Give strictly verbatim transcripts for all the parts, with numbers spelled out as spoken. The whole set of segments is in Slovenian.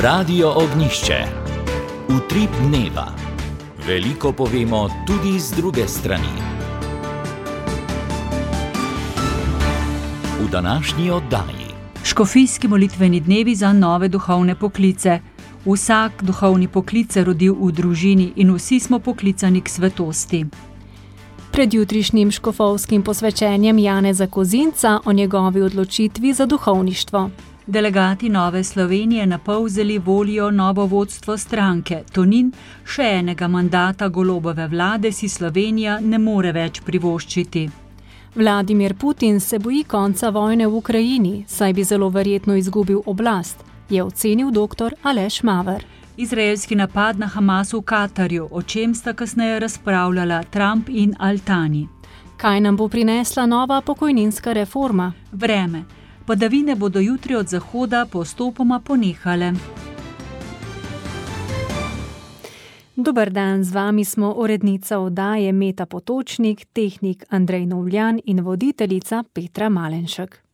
Radio Ognjišče. Utrip dneva. Veliko povemo tudi z druge strani. V današnji oddaji. Škofijski molitveni dnevi za nove duhovne poklice. Vsak duhovni poklic se rodil v družini in vsi smo poklicani k svetosti. Pred jutrišnjim škofovskim posvečenjem Janeza Kozinca o njegovi odločitvi za duhovništvo. Delegati Nove Slovenije napolzeli volijo novo vodstvo stranke. Tonin, še enega mandata Golobove vlade si Slovenija ne more več privoščiti. Vladimir Putin se boji konca vojne v Ukrajini, saj bi zelo verjetno izgubil oblast, je ocenil doktor Aleš Maver. Izraelski napad na Hamas v Katarju, o čem sta kasneje razpravljala Trump in Altani. Kaj nam bo prinesla nova pokojninska reforma? Vreme. Padavine bodo jutri od zahoda postopoma ponehale. Dober dan, z vami smo urednica oddaje Meta Potočnik, tehnik Andrej Novljan in voditeljica Petra Malenšek.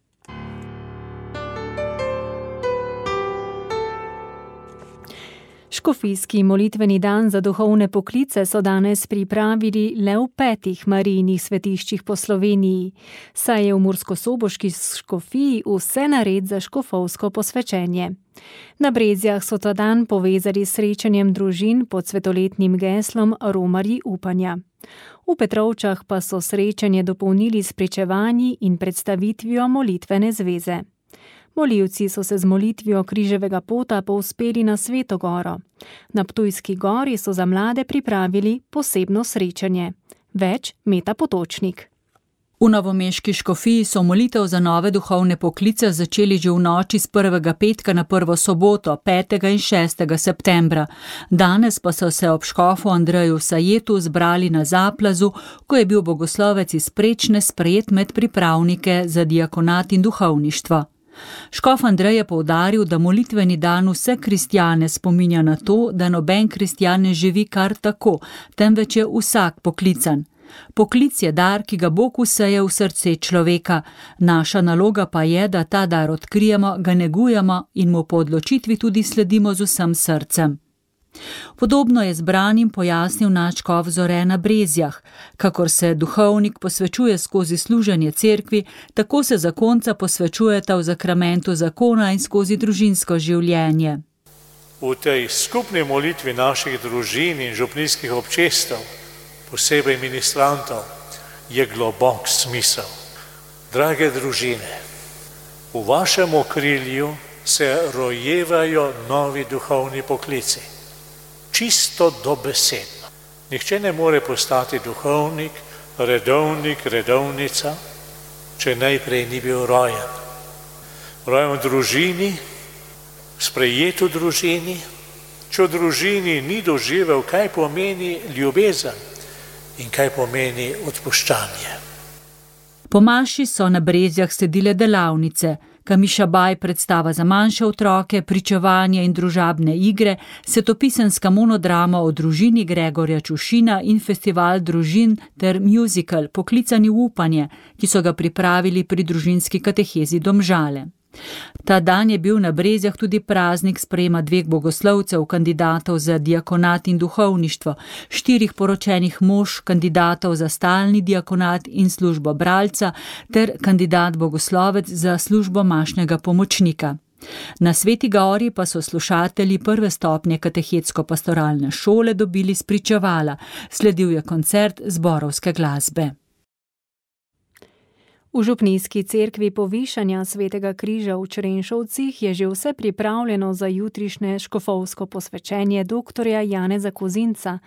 Škofijski molitveni dan za duhovne poklice so danes pripravili le v petih Marijinih svetiščih po Sloveniji, saj je v murskosoboški škofiji vse nared za škofovsko posvečenje. Na Brezjah so ta dan povezali s srečanjem družin pod svetoletnim geslom Romarji upanja. V Petrovčah pa so srečanje dopolnili s pričevanji in predstavitvijo molitvene zveze. Molivci so se z molitvijo križevega pota povzpeli na Sveto goro. Na Ptujski gori so za mlade pripravili posebno srečanje. Več Meta Potočnik. V novomeški škofiji so molitev za nove duhovne poklice začeli že v noči z prvega petka na prvo soboto, petega in šestega septembra. Danes pa so se ob škofu Andreju Sajetu zbrali na Zaplazu, ko je bil bogoslovec iz Prečne sprejet med pripravnike za diakonat in duhovništvo. Škof Andrej je poudaril, da molitveni dan vse kristjane spominja na to, da noben kristjan ne živi kar tako, temveč je vsak poklican. Poklic je dar, ki ga Bog vseje v srce človeka. Naša naloga pa je, da ta dar odkrijemo, ga negujemo in mu po odločitvi tudi sledimo z vsem srcem. Podobno je zbranim pojasnil nadškof Zore na Brezjah. Kakor se duhovnik posvečuje skozi služenje cerkvi, tako se zakonca posvečujeta v zakramentu zakona in skozi družinsko življenje. V tej skupni molitvi naših družin in župnijskih občestev, posebej ministrantov, je globok smisel. Drage družine, v vašem okrilju se rojevajo novi duhovni poklici. Čisto dobesedno. Nihče ne more postati duhovnik, redovnik, redovnica, če najprej ni bil rojen. Rojen v družini, sprejet v družini, če v družini ni doživel, kaj pomeni ljubezen in kaj pomeni odpuščanje. Po maši so na Brezjah sledile delavnice, Kamiša Baj predstava za manjše otroke, pričevanje in družabne igre, svetopisemska monodrama o družini Gregorja Čušina in festival družin ter musical Poklicani v upanje, ki so ga pripravili pri družinski katehezi Domžale. Ta dan je bil na Brezjah tudi praznik sprejema dveh bogoslovcev, kandidatov za diakonat in duhovništvo, štirih poročenih mož, kandidatov za stalni diakonat in službo bralca ter kandidat bogoslovec za službo mašnega pomočnika. Na Sveti gori pa so slušatelji prve stopnje katehetsko-pastoralne šole dobili spričevala, sledil je koncert zborovske glasbe. V župnijski cerkvi Povišanja Svetega križa v Črenšovcih je že vse pripravljeno za jutrišnje škofovsko posvečenje doktorja Janeza Kozinca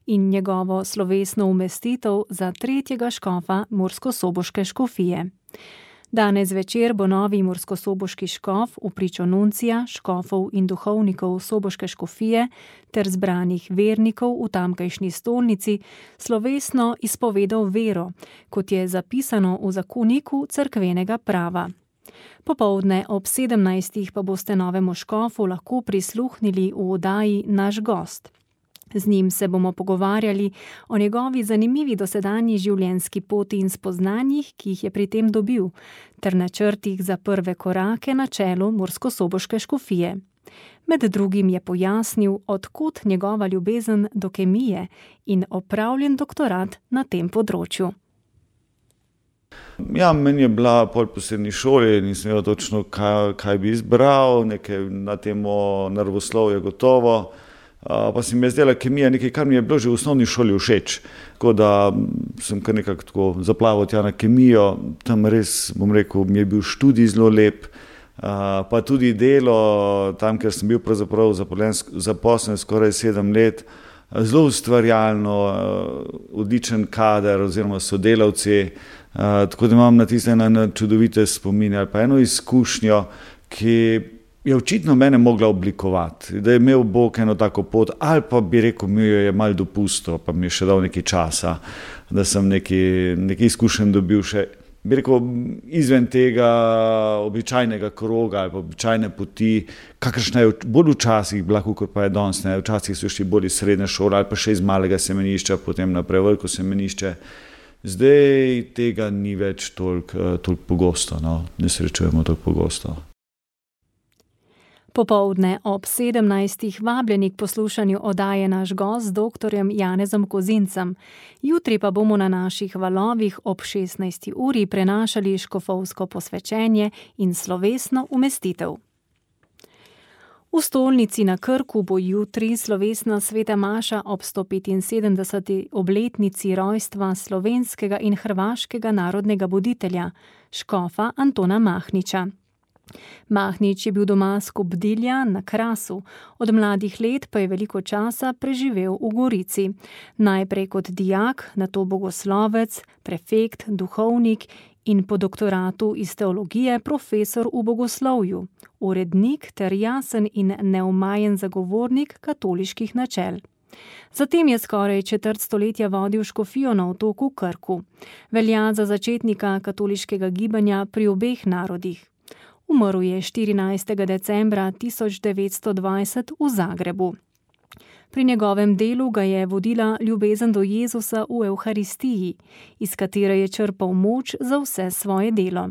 in njegovo slovesno umestitev za tretjega škofa murskosoboške škofije. Danes večer bo novi murskosoboški škof v pričo nuncija, škofov in duhovnikov soboške škofije ter zbranih vernikov v tamkajšnji stolnici slovesno izpovedal vero, kot je zapisano v zakoniku cerkvenega prava. Popoldne ob sedemnajstih pa boste novemu škofu lahko prisluhnili v oddaji Naš gost. Z njim se bomo pogovarjali o njegovi zanimivi dosedanji življenjski poti in spoznanjih, ki jih je pri tem dobil, ter načrtih za prve korake na čelu murskosoboške škofije. Med drugim je pojasnil, odkot njegova ljubezen do kemije in opravljen doktorat na tem področju. Ja, meni je bila pol po srednji šoli, nisem vedel točno, kaj, kaj bi izbral, nekaj na temo naravoslovja gotovo. Pa se mi je zdela kemija nekaj, kar mi je bilo že v osnovni šoli všeč. Tako da sem kar nekako tako zaplaval tja na kemijo, tam res, bom rekel, mi je bil študij zelo lep, pa tudi delo, tam, ker sem bil pravzaprav zaposlen skoraj sedem let, zelo ustvarjalno, odličen kader oziroma sodelavci, tako da imam na tiste ene čudovite spomine ali pa eno izkušnjo, ki je očitno mene mogla oblikovati, da je imel Bog eno tako pot, ali pa bi rekel, mi jo je malo dopustil, pa mi je še dal nekaj časa, da sem nekaj, nekaj izkušenj dobil še, bi rekel, izven tega običajnega kroga ali pa običajne poti, kakršna je bolj včasih bila, kot pa je danes, ne, včasih so šli bolj iz srednje šole ali pa še iz malega semenišča, potem naprej veliko semenišče. Zdaj tega ni več toliko, toliko pogosto, no, ne srečujemo toliko pogosto. Popoldne ob sedemnajstih vabljeni k poslušanju oddaje Naš gost z doktorjem Janezom Kozincem. Jutri pa bomo na naših valovih ob šestnajsti uri prenašali škofovsko posvečenje in slovesno umestitev. V stolnici na Krku bo jutri slovesna sveta maša ob sto petinsedemdeseti obletnici rojstva slovenskega in hrvaškega narodnega buditelja, škofa Antona Mahniča. Mahnič je bil doma s Kobdilja na Krasu, od mladih let pa je veliko časa preživel v Gorici. Najprej kot dijak, nato bogoslovec, prefekt, duhovnik in po doktoratu iz teologije profesor v bogoslovju, urednik ter jasen in neomajen zagovornik katoliških načel. Zatem je skoraj četrt stoletja vodil škofijo na otoku Krku. Velja za začetnika katoliškega gibanja pri obeh narodih. Umrl je štirinajstega decembra tisoč devetsto dvajset v Zagrebu. Pri njegovem delu ga je vodila ljubezen do Jezusa v Evharistiji, iz katere je črpal moč za vse svoje delo.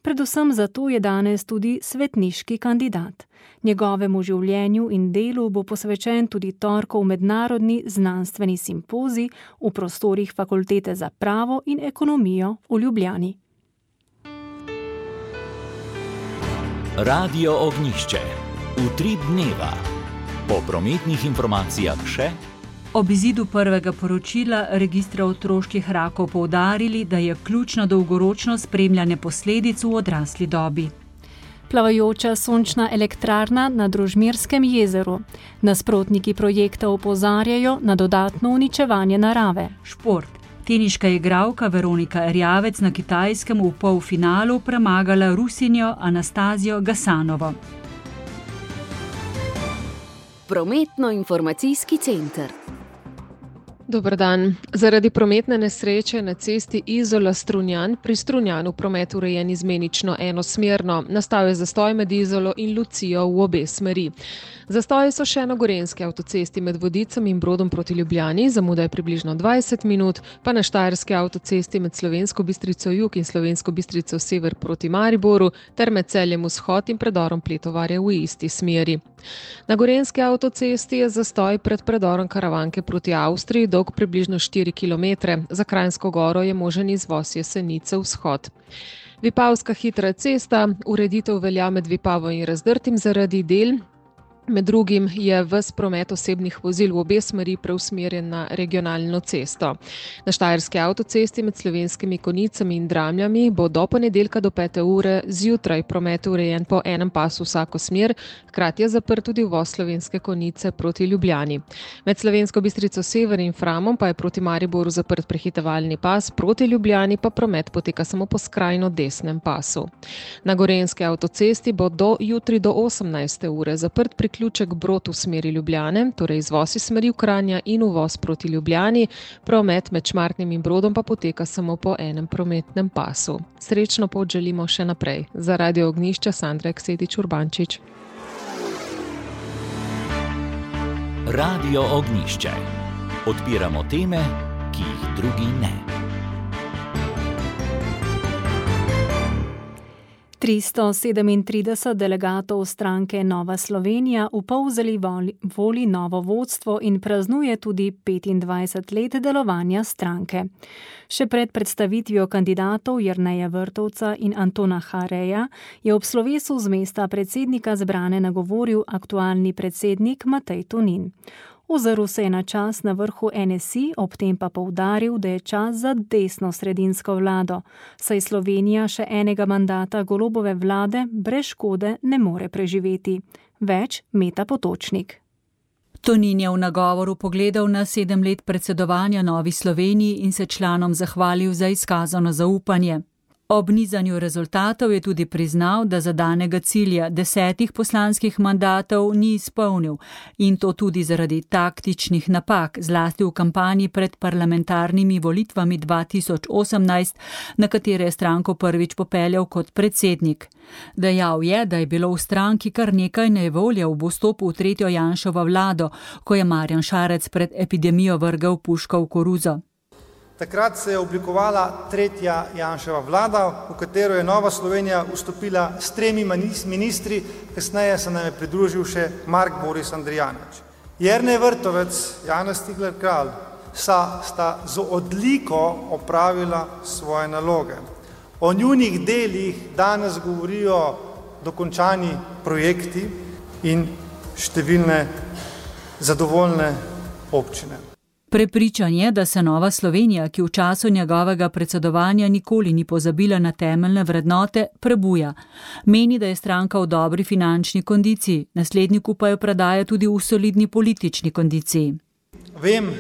Predvsem zato je danes tudi svetniški kandidat. Njegovemu življenju in delu bo posvečen tudi torkov mednarodni znanstveni simpozij v prostorih Fakultete za pravo in ekonomijo v Ljubljani. Radio Ognjišče. Utrip dneva. Po prometnih informacijah še. Ob izidu prvega poročila registra otroških rakov poudarili, da je ključno dolgoročno spremljanje posledic v odrasli dobi. Plavajoča sončna elektrarna na Družmirskem jezeru. Nasprotniki projekta opozarjajo na dodatno uničevanje narave. Šport. Teniška igralka Veronika Erjavec na Kitajskem v polfinalu premagala Rusinjo Anastazijo Gasanovo. Prometno-informacijski center. Dober dan. Zaradi prometne nesreče na cesti Izola-Strunjan pri Strunjanu promet urejen izmenično enosmerno. Nastal je zastoj med Izolo in Lucijo v obe smeri. Zastoji so še na gorenski avtocesti med Vodicem in Brodom proti Ljubljani, zamuda je približno dvajset minut, pa na štajerski avtocesti med Slovensko Bistrico jug in Slovensko Bistrico sever proti Mariboru ter med Celjem vzhod in predorom Pletovarja v isti smeri. Na gorenski avtocesti je zastoj pred predorom Karavanke proti Avstriji dolg približno štiri kilometre. Za Kranjsko Goro je možen izvoz Jesenice vzhod. Vipavska hitra cesta, ureditev velja med Vipavo in Razdrtim zaradi del. Med drugim je ves promet osebnih vozil v obe smeri preusmerjen na regionalno cesto. Na štajerski avtocesti med Slovenskimi Konjicami in Dramljami bo do ponedeljka do pete ure zjutraj promet urejen po enem pasu vsako smer, hkrati je zaprt tudi uvoz Slovenske Konjice proti Ljubljani. Med Slovensko Bistrico sever in Framom pa je proti Mariboru zaprt prehitevalni pas, proti Ljubljani pa promet poteka samo po skrajno desnem pasu. Na gorenski avtocesti bo do jutri do osemnajste ure zaprt pri Ključek Brod v smeri Ljubljane, torej izvoz iz smeri Kranja in uvoz proti Ljubljani, promet med Šmartnim in Brodom pa poteka samo po enem prometnem pasu. Srečno pot želimo še naprej. Za Radio Ognjišče Sandra Eksetič Urbančič. Radio Ognjišče. Odpiramo teme, ki jih drugi ne. tristo sedemintrideset delegatov stranke Nova Slovenija v Polzeli voli novo vodstvo in praznuje tudi petindvajset let delovanja stranke. Še pred predstavitvijo kandidatov Jerneja Vrtovca in Antona Hareja je ob slovesu z mesta predsednika zbrane nagovoril aktualni predsednik Matej Tonin. Ozrl se je na čas na vrhu N S I, ob tem pa poudaril, da je čas za desno-sredinsko vlado, saj Slovenija še enega mandata Golobove vlade brez škode ne more preživeti. Več Meta Potočnik. Tonin je v nagovoru pogledal na sedem let predsedovanja Novi Sloveniji in se članom zahvalil za izkazano zaupanje. Ob nizanju rezultatov je tudi priznal, da zadanega cilja desetih poslanskih mandatov ni izpolnil in to tudi zaradi taktičnih napak, zlasti v kampanji pred parlamentarnimi volitvami dva tisoč osemnajst, na katere je stranko prvič popeljal kot predsednik. Dejal je, da je bilo v stranki kar nekaj nejevolje ob vstopu v tretjo Janševo vlado, ko je Marjan Šarec pred epidemijo vrgel puško v koruzo. Takrat se je oblikovala tretja Janševa vlada, v katero je Nova Slovenija vstopila s tremi ministri, kasneje se nam je pridružil še Mark Boris Andrijanič. Jernej Vrtovec, Janez Cigler Kralj sta, sta z odliko opravila svoje naloge. O njunih delih danes govorijo dokončani projekti in številne zadovoljne občine. Prepričan je, da se Nova Slovenija, ki v času njegovega predsedovanja nikoli ni pozabila na temeljne vrednote, prebuja. Meni, da je stranka v dobri finančni kondiciji, nasledniku pa jo predaja tudi v solidni politični kondiciji. Vem,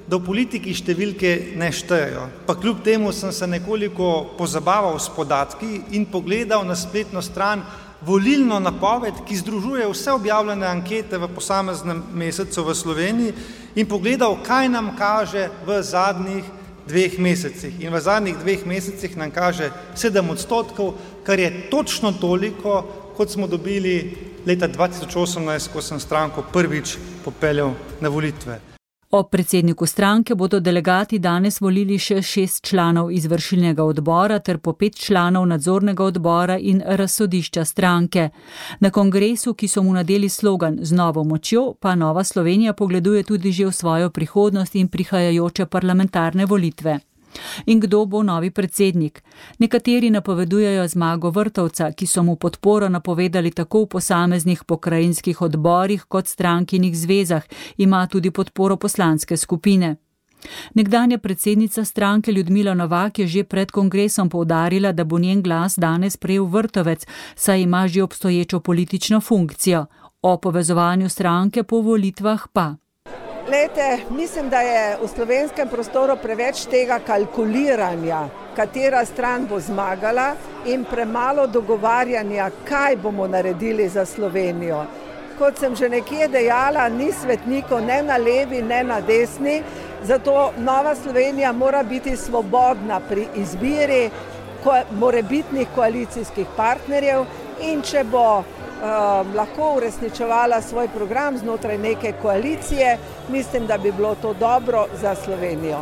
da v politiki številke ne štejejo, pa kljub temu sem se nekoliko pozabaval s podatki in pogledal na spletno stran volilno napoved, ki združuje vse objavljene ankete v posameznem mesecu v Sloveniji in pogledal, kaj nam kaže v zadnjih dveh mesecih. In v zadnjih dveh mesecih nam kaže sedem odstotkov, kar je točno toliko, kot smo dobili leta dva tisoč osemnajst, ko sem stranko prvič popeljal na volitve. Ob predsedniku stranke bodo delegati danes volili še šest članov izvršilnega odbora ter po pet članov nadzornega odbora in razsodišča stranke. Na kongresu, ki so mu nadeli slogan Z novo močjo, pa Nova Slovenija pogleduje tudi že v svojo prihodnost in prihajajoče parlamentarne volitve. In kdo bo novi predsednik? Nekateri napovedujejo zmago Vrtovca, ki so mu podporo napovedali tako v posameznih pokrajinskih odborih kot strankinih zvezah, ima tudi podporo poslanske skupine. Nekdanja predsednica stranke Ljudmila Novak je že pred kongresom poudarila, da bo njen glas danes prejel Vrtovec, saj ima že obstoječo politično funkcijo. O povezovanju stranke po volitvah pa. Lejte, mislim, da je v slovenskem prostoru preveč tega kalkuliranja, katera stran bo zmagala in premalo dogovarjanja, kaj bomo naredili za Slovenijo. Kot sem že nekje dejala, ni svetnikov ne na levi, ne na desni, zato Nova Slovenija mora biti svobodna pri izbiri morebitnih koalicijskih partnerjev in če bo Uh, lahko uresničevala svoj program znotraj neke koalicije, mislim, da bi bilo to dobro za Slovenijo.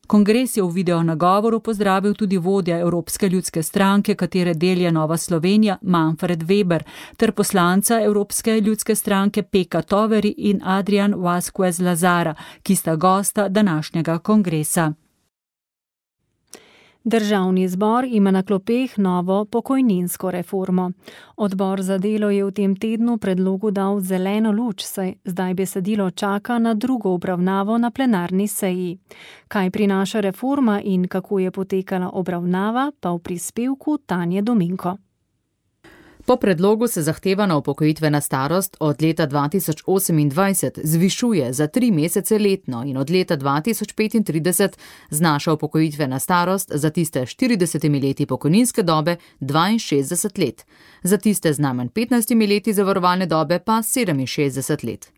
Kongres je v video nagovoru pozdravil tudi vodja Evropske ljudske stranke, katere del je Nova Slovenija, Manfred Weber, ter poslanca Evropske ljudske stranke Peka Toveri in Adrian Vasquez Lazara, ki sta gosta današnjega kongresa. Državni zbor ima na klopeh novo pokojninsko reformo. Odbor za delo je v tem tednu predlogu dal zeleno luč, saj zdaj besedilo čaka na drugo obravnavo na plenarni seji. Kaj prinaša reforma in kako je potekala obravnava, pa v prispevku Tanje Dominko. Po predlogu se zahtevana upokojitvena starost od leta dva tisoč osemindvajset zvišuje za tri mesece letno in od leta dva tisoč petintrideset znaša upokojitvena starost za tiste štiridesetimi leti pokojninske dobe dvainšestdeset let, za tiste z najmanj petnajstimi leti zavarovalne dobe pa sedeminšestdeset let.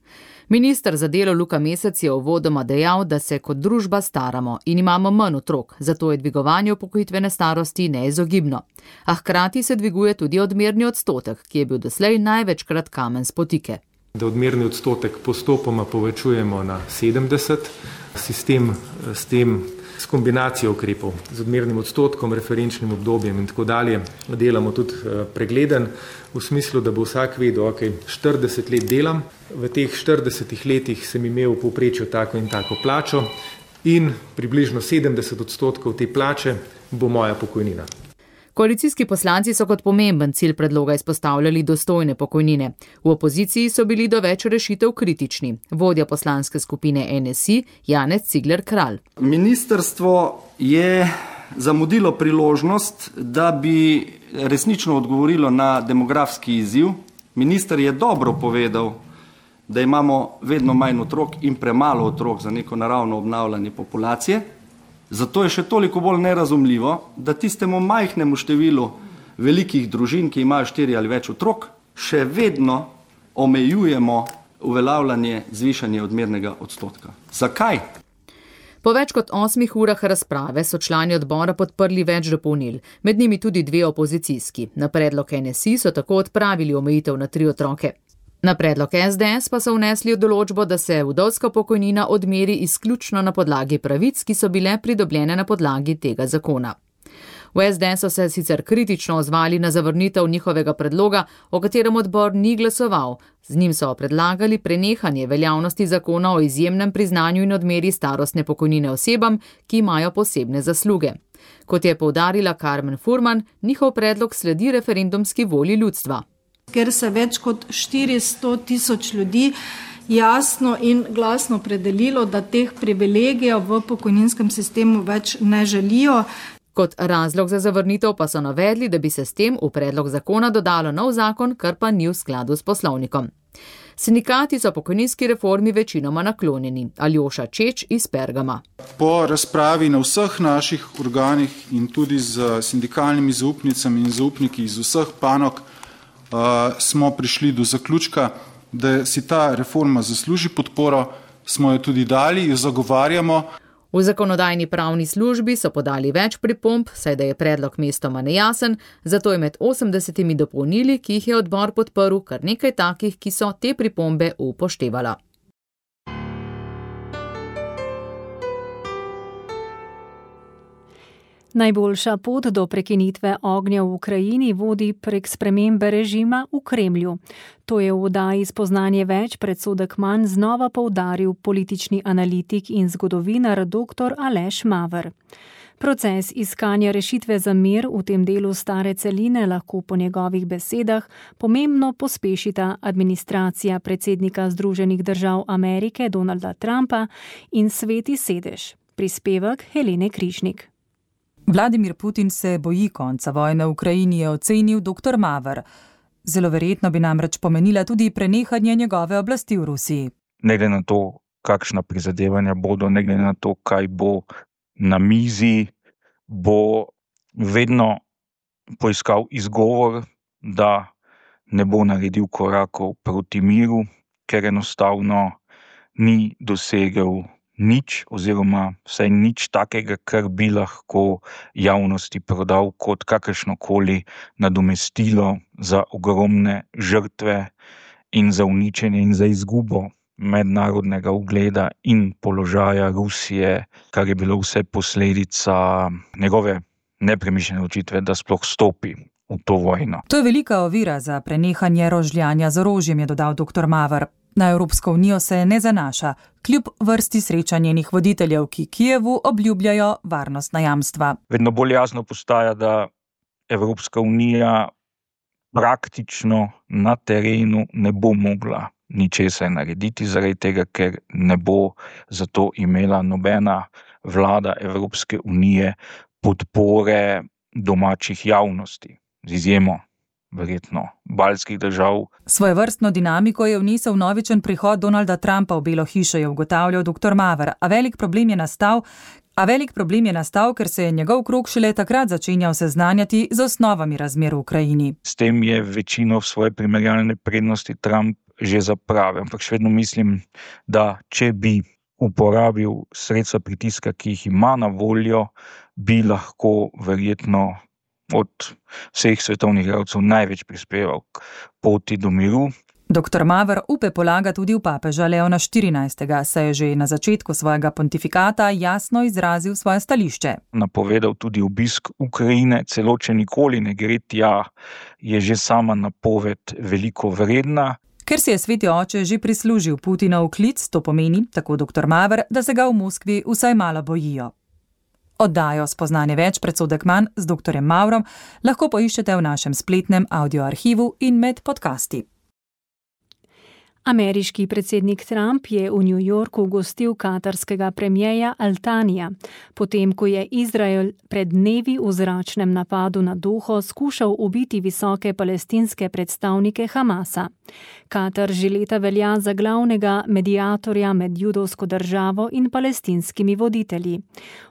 Minister za delo Luka Mesec je uvodoma dejal, da se kot družba staramo in imamo manj otrok, zato je dvigovanje upokojitvene starosti neizogibno. A hkrati se dviguje tudi odmerni odstotek, ki je bil doslej največkrat kamen spotike. Da odmerni odstotek postopoma povečujemo na sedemdeset, sistem s tem s kombinacijo ukrepov, z odmernim odstotkom, referenčnim obdobjem in tako dalje. Delamo tudi pregleden v smislu, da bo vsak vedel, ok, štirideset let delam, v teh štiridesetih letih sem imel v povprečju tako in tako plačo in približno sedemdeset odstotkov te plače bo moja pokojnina. Koalicijski poslanci so kot pomemben cilj predloga izpostavljali dostojne pokojnine. V opoziciji so bili do več rešitev kritični. Vodja poslanske skupine N S I Janez Cigler Kralj. Ministrstvo je zamudilo priložnost, da bi resnično odgovorilo na demografski izziv. Minister je dobro povedal, da imamo vedno manj otrok in premalo otrok za neko naravno obnavljanje populacije. Zato je še toliko bolj nerazumljivo, da tistemu majhnemu številu velikih družin, ki imajo štiri ali več otrok, še vedno omejujemo uveljavljanje zvišanja odmernega odstotka. Zakaj? Po več kot osmih urah razprave so člani odbora podprli več dopolnil, med njimi tudi dve opozicijski. Na predlog N S I so tako odpravili omejitev na tri otroke. Na predlog S D S pa so vnesli določbo, da se vdovska pokojnina odmeri izključno na podlagi pravic, ki so bile pridobljene na podlagi tega zakona. V S D S so se sicer kritično ozvali na zavrnitev njihovega predloga, o katerem odbor ni glasoval. Z njim so predlagali prenehanje veljavnosti zakona o izjemnem priznanju in odmeri starostne pokojnine osebam, ki imajo posebne zasluge. Kot je poudarila Karmen Furman, njihov predlog sledi referendumski volji ljudstva. Ker se več kot štiristo tisoč ljudi jasno in glasno opredelilo, da teh privilegijev v pokojninskem sistemu več ne želijo. Kot razlog za zavrnitev pa so navedli, da bi se s tem v predlog zakona dodalo nov zakon, kar pa ni v skladu s poslovnikom. Sindikati so pokojninski reformi večinoma naklonjeni. Aljoša Čeč iz Pergama. Po razpravi na vseh naših organih in tudi z sindikalnimi zaupnicami in zaupniki iz vseh panog Uh, smo prišli do zaključka, da si ta reforma zasluži podporo, smo jo tudi dali, jo zagovarjamo. V zakonodajni pravni službi so podali več pripomb, saj da je predlog mestoma nejasen, zato je med osemdesetimi dopolnili, ki jih je odbor podprl, kar nekaj takih, ki so te pripombe upoštevala. Najboljša pot do prekinitve ognja v Ukrajini vodi prek spremembe režima v Kremlju. To je v oddaji Spoznanje več predsodek manj znova poudaril politični analitik in zgodovinar dr. Aleš Maver. Proces iskanja rešitve za mir v tem delu stare celine lahko po njegovih besedah pomembno pospešita administracija predsednika Združenih držav Amerike Donalda Trumpa in Sveti sedež. Prispevek Helene Križnik. Vladimir Putin se boji konca vojne v Ukrajini, je ocenil dr. Maver. Zelo verjetno bi namreč pomenila tudi prenehanje njegove oblasti v Rusiji. Ne glede na to, kakšna prizadevanja bodo, ne glede na to, kaj bo na mizi, bo vedno poiskal izgovor, da ne bo naredil korakov proti miru, ker enostavno ni dosegel nič oziroma vsaj nič takega, kar bi lahko javnosti prodal kot kakršnokoli nadomestilo za ogromne žrtve in za uničenje in za izgubo mednarodnega ugleda in položaja Rusije, kar je bilo vse posledica njegove nepremišljene odločitve, da sploh stopi v to vojno. To je velika ovira za prenehanje rožljanja z orožjem, je dodal dr. Maver. Na Evropsko unijo se ne zanaša, kljub vrsti srečanj njenih voditeljev, ki Kijevu obljubljajo varnostna jamstva. Vedno bolj jasno postaja, da Evropska unija praktično na terenu ne bo mogla ničesar narediti, zaradi tega, ker ne bo zato imela nobena vlada Evropske unije podpore domačih javnosti, z izjemo verjetno baltskih držav. Svojevrstno dinamiko je vnesel novičen prihod Donalda Trumpa v Belo hišo, je ugotavljal dr. Maver, a velik problem je nastal, a velik problem je nastal, ker se je njegov krog šele takrat začenjal seznanjati z osnovami razmer v Ukrajini. S tem je večino svoje primerjalne prednosti Trump že zapravil, ampak še vedno mislim, da če bi uporabil sredstva pritiska, ki jih ima na voljo, bi lahko verjetno od vseh svetovnih igralcev največ prispeval k poti do miru. Doktor Maver upe polaga tudi v papeža Leona štirinajstega, saj je že na začetku svojega pontifikata jasno izrazil svoje stališče. Napovedal tudi obisk Ukrajine, celo če nikoli ne gre tja, je že sama napoved veliko vredna. Ker si je sveti oče že prislužil Putinov klic, to pomeni, tako doktor Maver, da se ga v Moskvi vsaj malo bojijo. Oddajo Spoznanje več, predsodek manj z doktorjem Mavrom lahko poiščete v našem spletnem audioarhivu in med podcasti. Ameriški predsednik Trump je v New Yorku gostil katarskega premierja Al-Thanija, potem ko je Izrael pred dnevi v zračnem napadu na Doho skušal ubiti visoke palestinske predstavnike Hamasa. Katar že leta velja za glavnega mediatorja med judovsko državo in palestinskimi voditelji.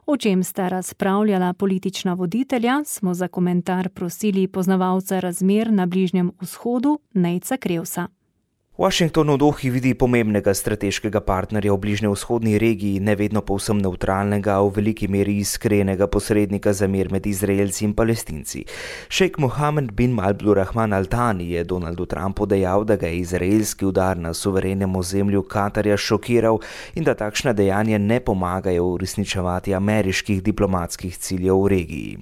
O čem sta razpravljala politična voditelja, smo za komentar prosili poznavalca razmer na Bližnjem vzhodu Nejca Krevsa. Washington v Dohi vidi pomembnega strateškega partnerja v bližnjevzhodni regiji, ne vedno povsem nevtralnega, a v veliki meri iskrenega posrednika za mir med Izraelci in Palestinci. Šejk Mohamed bin Abdulrahman Al-Thani je Donaldu Trumpu dejal, da ga je izraelski udar na suverenem ozemlju Katarja šokiral in da takšna dejanja ne pomagajo uresničevati ameriških diplomatskih ciljev v regiji.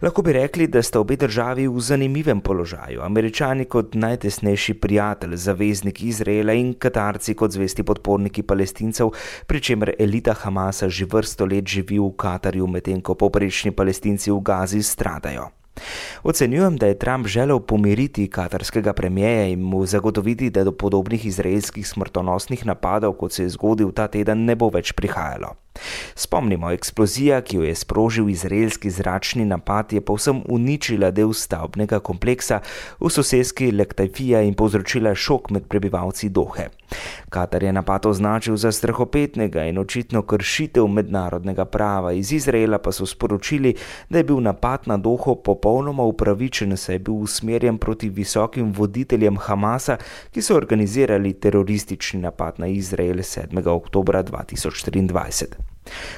Lahko bi rekli, da sta obe državi v zanimivem položaju, Američani kot najtesnejši prijatelj, zaveznik Izraela in Katarci kot zvesti podporniki Palestincev, pri čemer elita Hamasa že vrsto let živi v Katarju, medtem ko povprečni Palestinci v Gazi stradajo. Ocenjujem, da je Trump želel pomiriti katarskega premierja in mu zagotoviti, da do podobnih izraelskih smrtonosnih napadov, kot se je zgodil ta teden, ne bo več prihajalo. Spomnimo, eksplozija, ki jo je sprožil izraelski zračni napad, je povsem uničila del stavbnega kompleksa v soseski Lektajfija in povzročila šok med prebivalci Dohe. Katar je napad označil za strahopetnega in očitno kršitev mednarodnega prava. Iz Izraela pa so sporočili, da je bil napad na Doho popolnoma upravičen, saj je bil usmerjen proti visokim voditeljem Hamasa, ki so organizirali teroristični napad na Izrael sedmega oktobra dva tisoč triindvajset.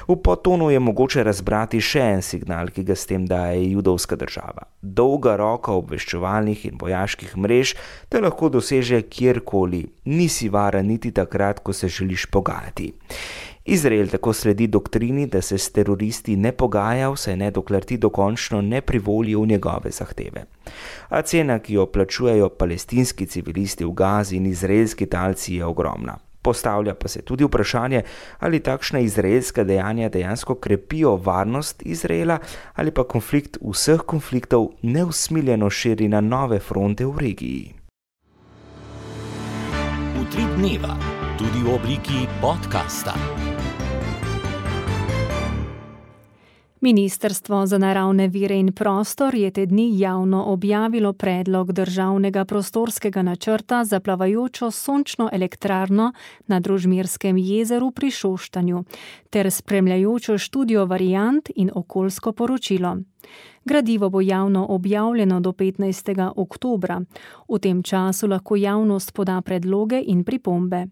V podtonu je mogoče razbrati še en signal, ki ga s tem daje judovska država. Dolga roka obveščevalnih in vojaških mrež te lahko doseže kjerkoli, nisi varen niti takrat, ko se želiš pogajati. Izrael tako sledi doktrini, da se s teroristi ne pogaja, vsaj ne dokler ti dokončno ne privolijo v njegove zahteve. A cena, ki jo plačujejo palestinski civilisti v Gazi in izraelski talci, je ogromna. Postavlja pa se tudi vprašanje, ali takšna izraelska dejanja dejansko krepijo varnost Izraela ali pa konflikt vseh konfliktov neusmiljeno širi na nove fronte v regiji. Utrip dneva, tudi v obliki podcasta. Ministrstvo za naravne vire in prostor je te dni javno objavilo predlog državnega prostorskega načrta za plavajočo sončno elektrarno na Družmirskem jezeru pri Šoštanju ter spremljajočo študijo variant in okoljsko poročilo. Gradivo bo javno objavljeno do petnajstega oktobra. V tem času lahko javnost poda predloge in pripombe.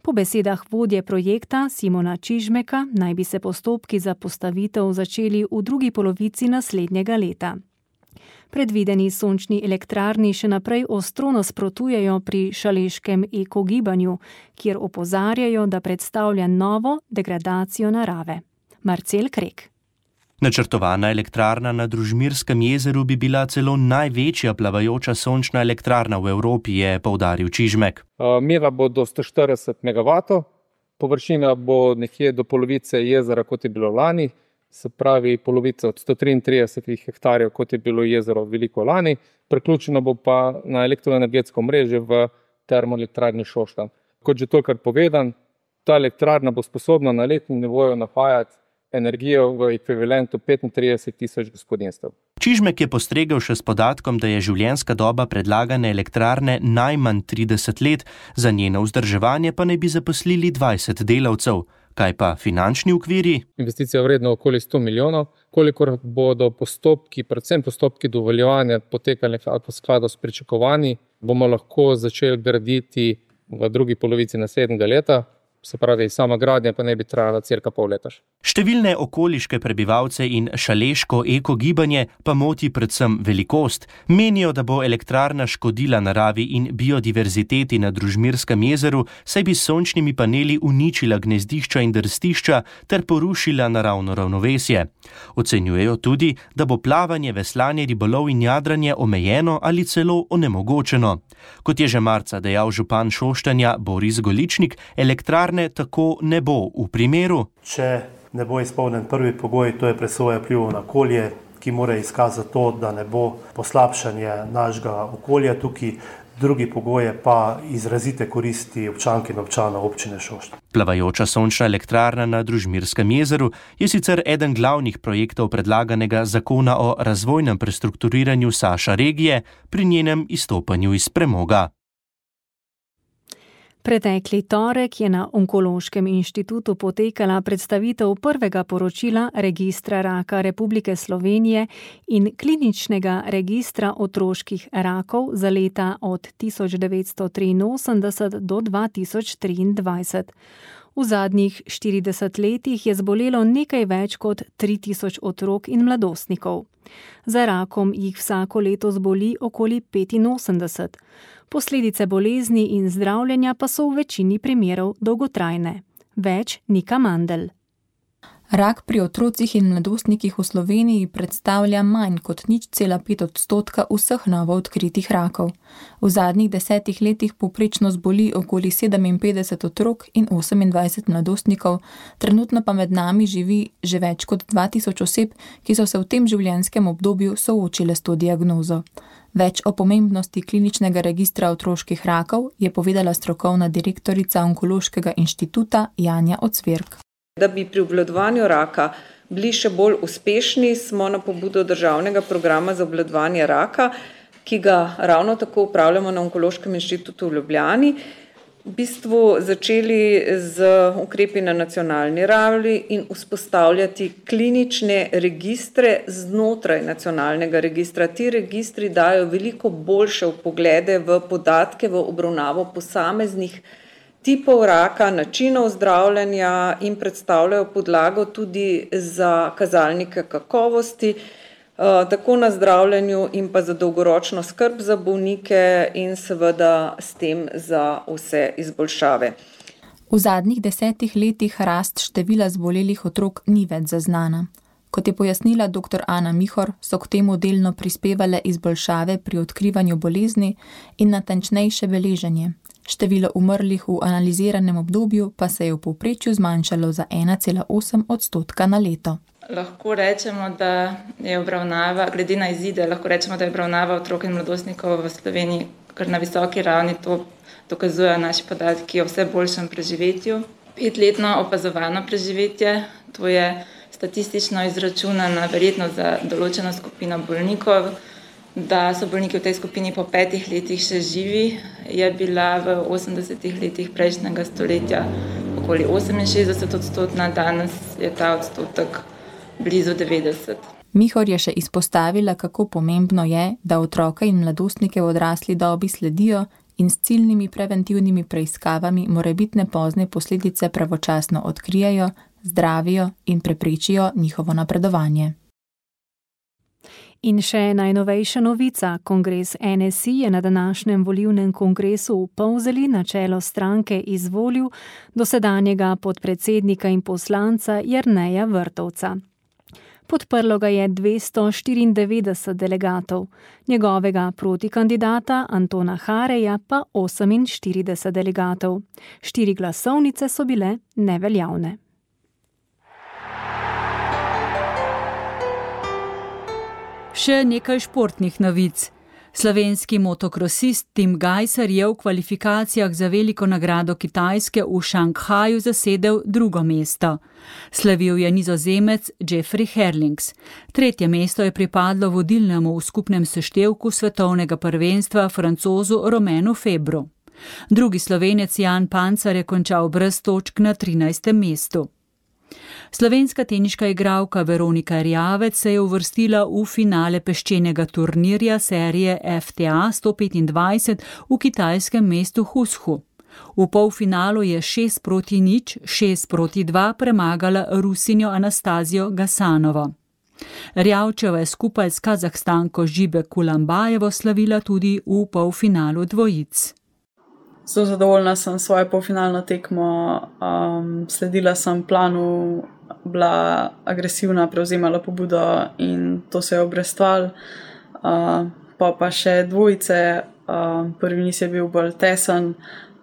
Po besedah vodje projekta Simona Čižmeka naj bi se postopki za postavitev začeli v drugi polovici naslednjega leta. Predvideni sončni elektrarni še naprej ostro nasprotujejo pri šaleškem ekogibanju, kjer opozarjajo, da predstavlja novo degradacijo narave. Marcel Krek. Načrtovana elektrarna na Družmirskem jezeru bi bila celo največja plavajoča sončna elektrarna v Evropi, je poudaril Čižmek. Mera bo do sto štirideset megavatov, površina bo nekje do polovice jezera, kot je bilo lani, se pravi polovica od sto triintrideset hektarjev, kot je bilo jezero veliko lani, priključeno bo pa na elektroenergetsko mreže v termoelektrarni Šoštanj. Kot že tokrat povedan, ta elektrarna bo sposobna na letnem nivoju napajati energijo v ekvivalentu petintrideset tisoč gospodinjstev. Čižmek je postregel še s podatkom, da je življenjska doba predlagane elektrarne najmanj trideset let, za njeno vzdrževanje pa naj bi zaposlili dvajset delavcev. Kaj pa finančni okviri? Investicija vredna okoli sto milijonov, kolikor bodo postopki, predvsem postopki dovoljevanja potekali v skladu s pričakovanji, bomo lahko začeli graditi v drugi polovici naslednjega leta. se pravi, sama gradnja pa ne bi trajala cirka pol leta. Številne okoliške prebivalce in šaleško ekogibanje pa moti predvsem velikost. Menijo, da bo elektrarna škodila naravi in biodiverziteti na Družmirskem jezeru, saj bi s sončnimi paneli uničila gnezdišča in drstišča ter porušila naravno ravnovesje. Ocenjujejo tudi, da bo plavanje, veslanje, ribolov in jadranje omejeno ali celo onemogočeno. Kot je že marca dejal župan Šoštanja Boris Goličnik, elektrarne tako ne bo v primeru, če ne bo izpolnjen prvi pogoj, to je presoja vplivov na okolje, ki mora izkazati to, da ne bo poslabšanje našega okolja tukaj. Drugi pogoj je pa izrazite koristi občank in občanov občine Šoštanj. Plavajoča sončna elektrarna na Družmirskem jezeru je sicer eden glavnih projektov predlaganega zakona o razvojnem prestrukturiranju Saša regije pri njenem izstopanju iz premoga. Pretekli torek je na Onkološkem inštitutu potekala predstavitev prvega poročila Registra raka Republike Slovenije in kliničnega registra otroških rakov za leta od tisoč devetsto triinosemdeset do dva tisoč triindvajset. V zadnjih štirideset letih je zbolelo nekaj več kot tri tisoč otrok in mladostnikov. Za rakom jih vsako leto zboli okoli petinosemdeset. Posledice bolezni in zdravljenja pa so v večini primerov dolgotrajne. Več Nika Mandl. Rak pri otrocih in mladostnikih v Sloveniji predstavlja manj kot nič cela pet odstotka vseh novo odkritih rakov. V zadnjih desetih letih povprečno zboli okoli sedeminpetdeset otrok in osemindvajset mladostnikov, trenutno pa med nami živi že več kot dva tisoč oseb, ki so se v tem življenjskem obdobju soočile s to diagnozo. Več o pomembnosti kliničnega registra otroških rakov je povedala strokovna direktorica Onkološkega inštituta Janja Ocvirk. Da bi pri obvladovanju raka bili še bolj uspešni, smo na pobudo državnega programa za obvladovanje raka, ki ga ravno tako upravljamo na Onkološkem inštitutu v Ljubljani, v bistvu začeli z ukrepi na nacionalni ravni in vzpostavljati klinične registre znotraj nacionalnega registra. Ti registri dajo veliko boljše vpoglede v podatke, v obravnavo posameznih tipov raka, načinov zdravljenja in predstavljajo podlago tudi za kazalnike kakovosti, tako na zdravljenju in pa za dolgoročno skrb za bolnike in seveda s tem za vse izboljšave. V zadnjih desetih letih rast števila zbolelih otrok ni več zaznana. Kot je pojasnila doktor Ana Mihor, so k temu delno prispevale izboljšave pri odkrivanju bolezni in natančnejše beleženje. Število umrlih v analiziranem obdobju pa se je v povprečju zmanjšalo za ena cela osem odstotka na leto. Lahko rečemo, da je obravnava, glede na izide, lahko rečemo, da je obravnava otrok in mladostnikov v Sloveniji kar na visoki ravni, to dokazujejo naši podatki o vse boljšem preživetju. Petletno opazovano preživetje, to je statistično izračunana verjetnost za določeno skupino bolnikov, da so bolniki v tej skupini po petih letih še živi, je bila v osemdesetih letih prejšnjega stoletja okoli oseminšestdeset odstotna, danes je ta odstotek blizu devetdeset. Mihor je še izpostavila, kako pomembno je, da otroke in mladostnike v odrasli dobi sledijo in s ciljnimi preventivnimi preiskavami morebitne pozne posledice pravočasno odkrijejo, zdravijo in preprečijo njihovo napredovanje. In še najnovejša novica. Kongres N S I je na današnjem volilnem kongresu v Polzeli na čelo stranke izvolil dosedanjega podpredsednika in poslanca Jerneja Vrtovca. Podprlo ga je dvesto štiriindevetdeset delegatov, njegovega protikandidata Antona Hareja pa oseminštirideset delegatov. Štiri glasovnice so bile neveljavne. Še nekaj športnih novic. Slovenski motokrosist Tim Gajser je v kvalifikacijah za veliko nagrado Kitajske v Šanghaju zasedel drugo mesto. Slavil je Nizozemec Jeffrey Herlings. Tretje mesto je pripadlo vodilnemu v skupnem seštevku svetovnega prvenstva Francozu Romenu Febru. Drugi Slovenec Jan Pancar je končal brez točk na trinajstem mestu. Slovenska teniška igralka Veronika Erjavec se je uvrstila v finale peščenega turnirja serije F T A sto petindvajset v kitajskem mestu Huzhu. V polfinalu je šest proti nič, šest proti dva premagala Rusinjo Anastazijo Gasanovo. Rjavčeva je skupaj s Kazahstanko Žibe Kulambajevo slavila tudi v polfinalu dvojic. Zelo zadovoljna sem svojo polfinalno tekmo, um, sledila sem planu, bila agresivna, prevzemala pobudo in to se je obrestvalo. Uh, pa pa še dvojice, uh, prvi niz je bil bolj tesen,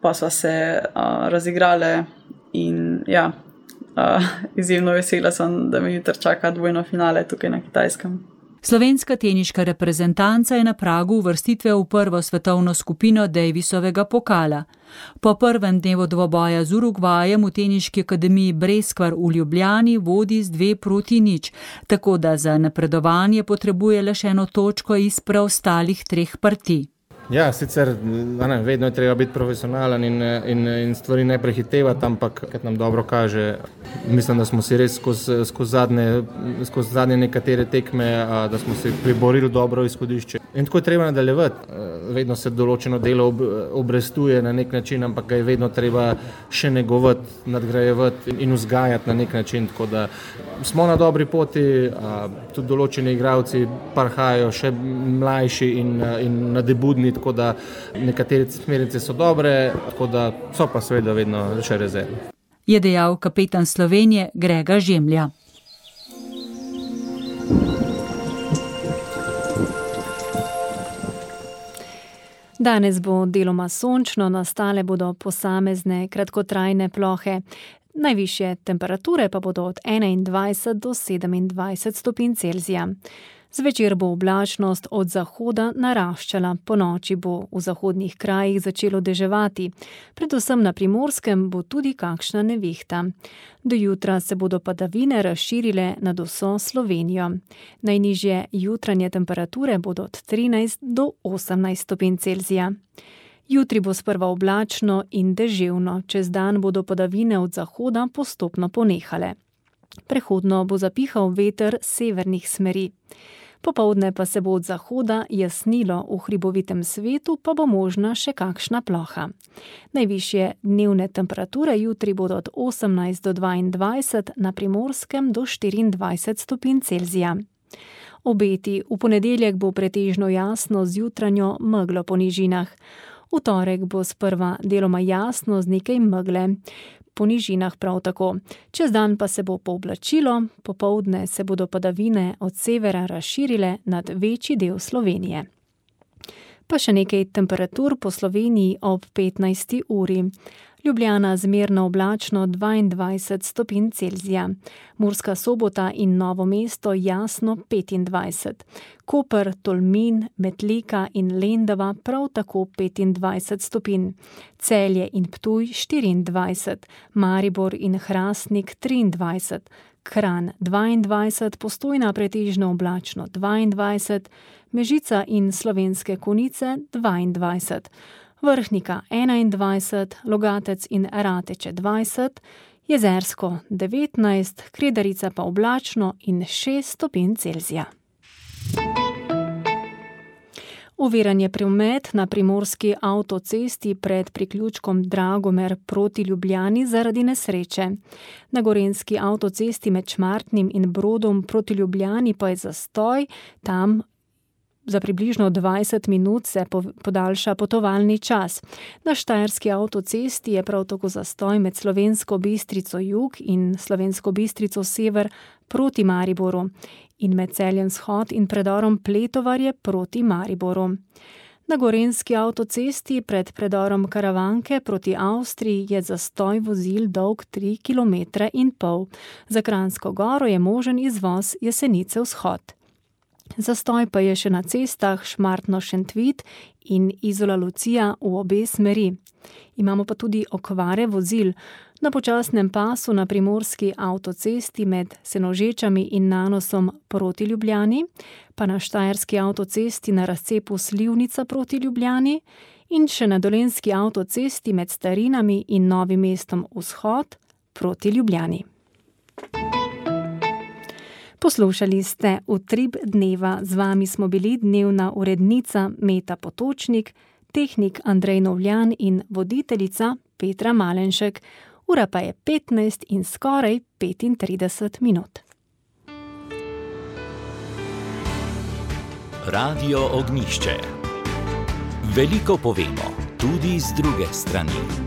pa sva se uh, razigrale in ja, uh, izjemno vesela sem, da me jutri čaka dvojno finale tukaj na Kitajskem. Slovenska teniška reprezentanca je na pragu uvrstitve v prvo svetovno skupino Davisovega pokala. Po prvem dnevu dvoboja z Urugvajem v teniški akademiji Breskvar v Ljubljani vodi z dve proti nič, tako da za napredovanje potrebuje le še eno točko iz preostalih treh partij. Ja, sicer ne, vedno je treba biti profesionalen in, in, in stvari ne prehitevati, ampak kad nam dobro kaže, mislim, da smo si res skozi, skozi, zadnje, skozi zadnje nekatere tekme, da smo si priborili dobro izhodišče. In tako je treba nadaljevati. Vedno se določeno delo ob, obrestuje na nek način, ampak ga je vedno treba še negovati, nadgrajevati in vzgajati na nek način. Tako da smo na dobri poti, tudi določeni igralci parhajajo še mlajši in, in nadebudni, tako da nekatere smernice so dobre, tako da so pa seveda vedno še rezerve. Je dejal kapetan Slovenije Grega Žemlja. Danes bo deloma sončno, nastale bodo posamezne kratkotrajne plohe. Najvišje temperature pa bodo od enaindvajset do sedemindvajset stopinj Celzija. Zvečer bo oblačnost od zahoda naraščala, ponoči bo v zahodnih krajih začelo deževati. Predvsem na Primorskem bo tudi kakšna nevihta. Do jutra se bodo padavine razširile nad vso Slovenijo. Najnižje jutranje temperature bodo od trinajst do osemnajst stopinj Celzija. Jutri bo sprva oblačno in deževno, čez dan bodo padavine od zahoda postopno ponehale. Prehodno bo zapihal veter severnih smeri. Popoldne pa se bo od zahoda jasnilo, v hribovitem svetu pa bo možna še kakšna ploha. Najvišje dnevne temperature jutri bodo od osemnajst do dvaindvajset, na Primorskem do štiriindvajset stopinj Celzija. Obeti: v ponedeljek bo pretežno jasno z jutranjo meglo po nižinah. V torek bo sprva deloma jasno z nekaj megle. Po nižinah prav tako. Čez dan pa se bo pooblačilo, popoldne se bodo padavine od severa razširile nad večji del Slovenije. Pa še nekaj temperatur po Sloveniji ob petnajsti uri. Ljubljana zmerno oblačno dvaindvajset stopinj Celzija, Murska Sobota in Novo mesto jasno petindvajset, Koper, Tolmin, Metlika in Lendava prav tako petindvajset stopinj, Celje in Ptuj štiriindvajset, Maribor in Hrastnik triindvajset, Kranj dvaindvajset, Postojna pretežno oblačno dvaindvajset, Mežica in Slovenske Konjice dvaindvajset, Vrhnika enaindvajset, Logatec in Rateče dvajset, Jezersko devetnajst, Kredarica pa oblačno in šest stopinj Celzija. Oviran je promet na primorski avtocesti pred priključkom Dragomer proti Ljubljani zaradi nesreče. Na gorenjski avtocesti med Šmartnim in Brodom proti Ljubljani pa je zastoj, tam za približno dvajset minut se podaljša potovalni čas. Na štajerski avtocesti je prav tako zastoj med Slovensko Bistrico jug in Slovensko Bistrico sever proti Mariboru in med Celjem vzhod in predorom Pletovarje proti Mariboru. Na gorenjski avtocesti pred predorom Karavanke proti Avstriji je zastoj vozil dolg tri kilometre in pol. Za Kranjsko Goro je možen izvoz Jesenice vzhod. Zastoj pa je še na cestah Šmartno-Šentvit in Izola-Lucija v obe smeri. Imamo pa tudi okvare vozil. Na počasnem pasu na primorski avtocesti med Senožečami in Nanosom proti Ljubljani, pa na štajerski avtocesti na razcepu Slivnica proti Ljubljani in še na dolenjski avtocesti med Starinami in Novim mestom vzhod proti Ljubljani. Poslušali ste Utrip dneva, z vami smo bili dnevna urednica Meta Potočnik tehnik Andrej Novljan in voditeljica Petra Malenšek. Ura pa je petnajst in skoraj petintrideset minut. Radio Ognjišče. Veliko povemo, tudi z druge strani.